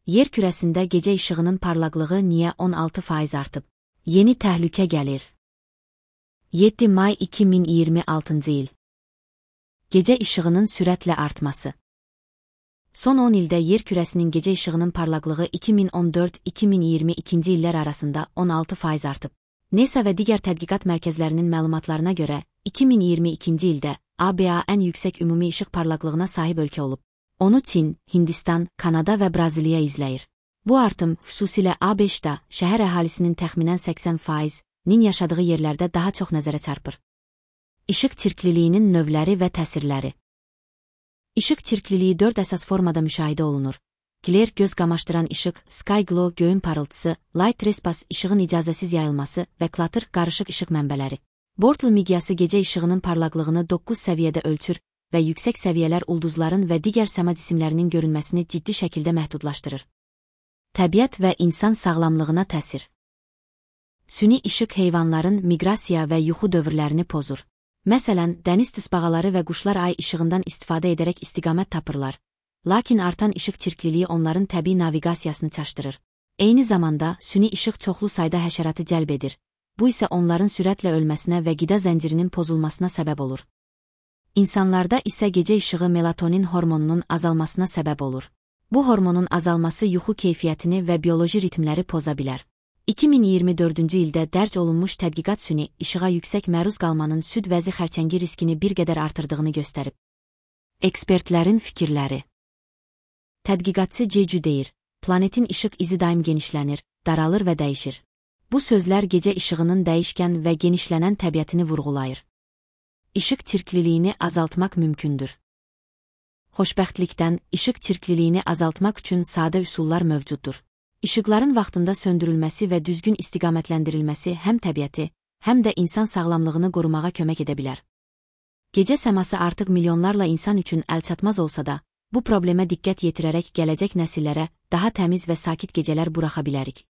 Yer kürəsində gecə işığının parlaqlığı niyə 16% artıb? Yeni təhlükə gəlir. 7 may 2026 il. Gecə işığının sürətlə artması. Son 10 ildə yer kürəsinin gecə işığının parlaqlığı 2014-2022 illər arasında 16% artıb. NASA və digər tədqiqat mərkəzlərinin məlumatlarına görə, 2022 ildə ABA ən yüksək ümumi işıq parlaqlığına sahib ölkə olub. Onu Çin, Hindistan, Kanada və Braziliya izləyir. Bu artım, xüsusilə ABŞ-da şəhər əhalisinin təxminən 80%-nin yaşadığı yerlərdə daha çox nəzərə çarpır. İşıq çirkliliyinin növləri və təsirləri. İşıq çirkliliyi 4 əsas formada müşahidə olunur. Glare göz qamaşdıran işıq, sky glow göyün parıltısı, light trespass işığın icazəsiz yayılması və clutter qarışıq işıq mənbələri. Bortle miqyası gecə işığının parlaqlığını 9 səviyyədə ölçür və yüksək səviyyələr ulduzların və digər səma cisimlərinin görünməsini ciddi şəkildə məhdudlaşdırır. Təbiət və insan sağlamlığına təsir. Süni işıq heyvanların miqrasiya və yuxu dövrlərini pozur. Məsələn, dəniz tısbağaları və quşlar ay işığından istifadə edərək istiqamət tapırlar. Lakin artan işıq çirkliliyi onların təbii naviqasiyasını çaşdırır. Eyni zamanda, süni işıq çoxlu sayda həşəratı cəlb edir. Bu isə onların sürətlə ölməsinə və qida zəncirinin pozulmasına səbəb olur. İnsanlarda isə gecə işığı melatonin hormonunun azalmasına səbəb olur. Bu hormonun azalması yuxu keyfiyyətini və bioloji ritmləri poza bilər. 2024-cü ildə dərc olunmuş tədqiqat süni işığa yüksək məruz qalmanın süd vəzi xərçəngi riskini bir qədər artırdığını göstərib. Ekspertlərin fikirləri. Tədqiqatçı Jeju deyir, planetin işıq izi daim genişlənir, daralır və dəyişir. Bu sözlər gecə işığının dəyişkən və genişlənən təbiətini vurğulayır. İşıq çirkliliyini azaltmaq mümkündür. Xoşbəxtlikdən, işıq çirkliliyini azaltmaq üçün sadə üsullar mövcuddur. İşıqların vaxtında söndürülməsi və düzgün istiqamətləndirilməsi həm təbiəti, həm də insan sağlamlığını qorumağa kömək edə bilər. Gecə səması artıq milyonlarla insan üçün əlçatmaz olsa da, bu problemə diqqət yetirərək gələcək nəsillərə daha təmiz və sakit gecələr buraxa bilərik.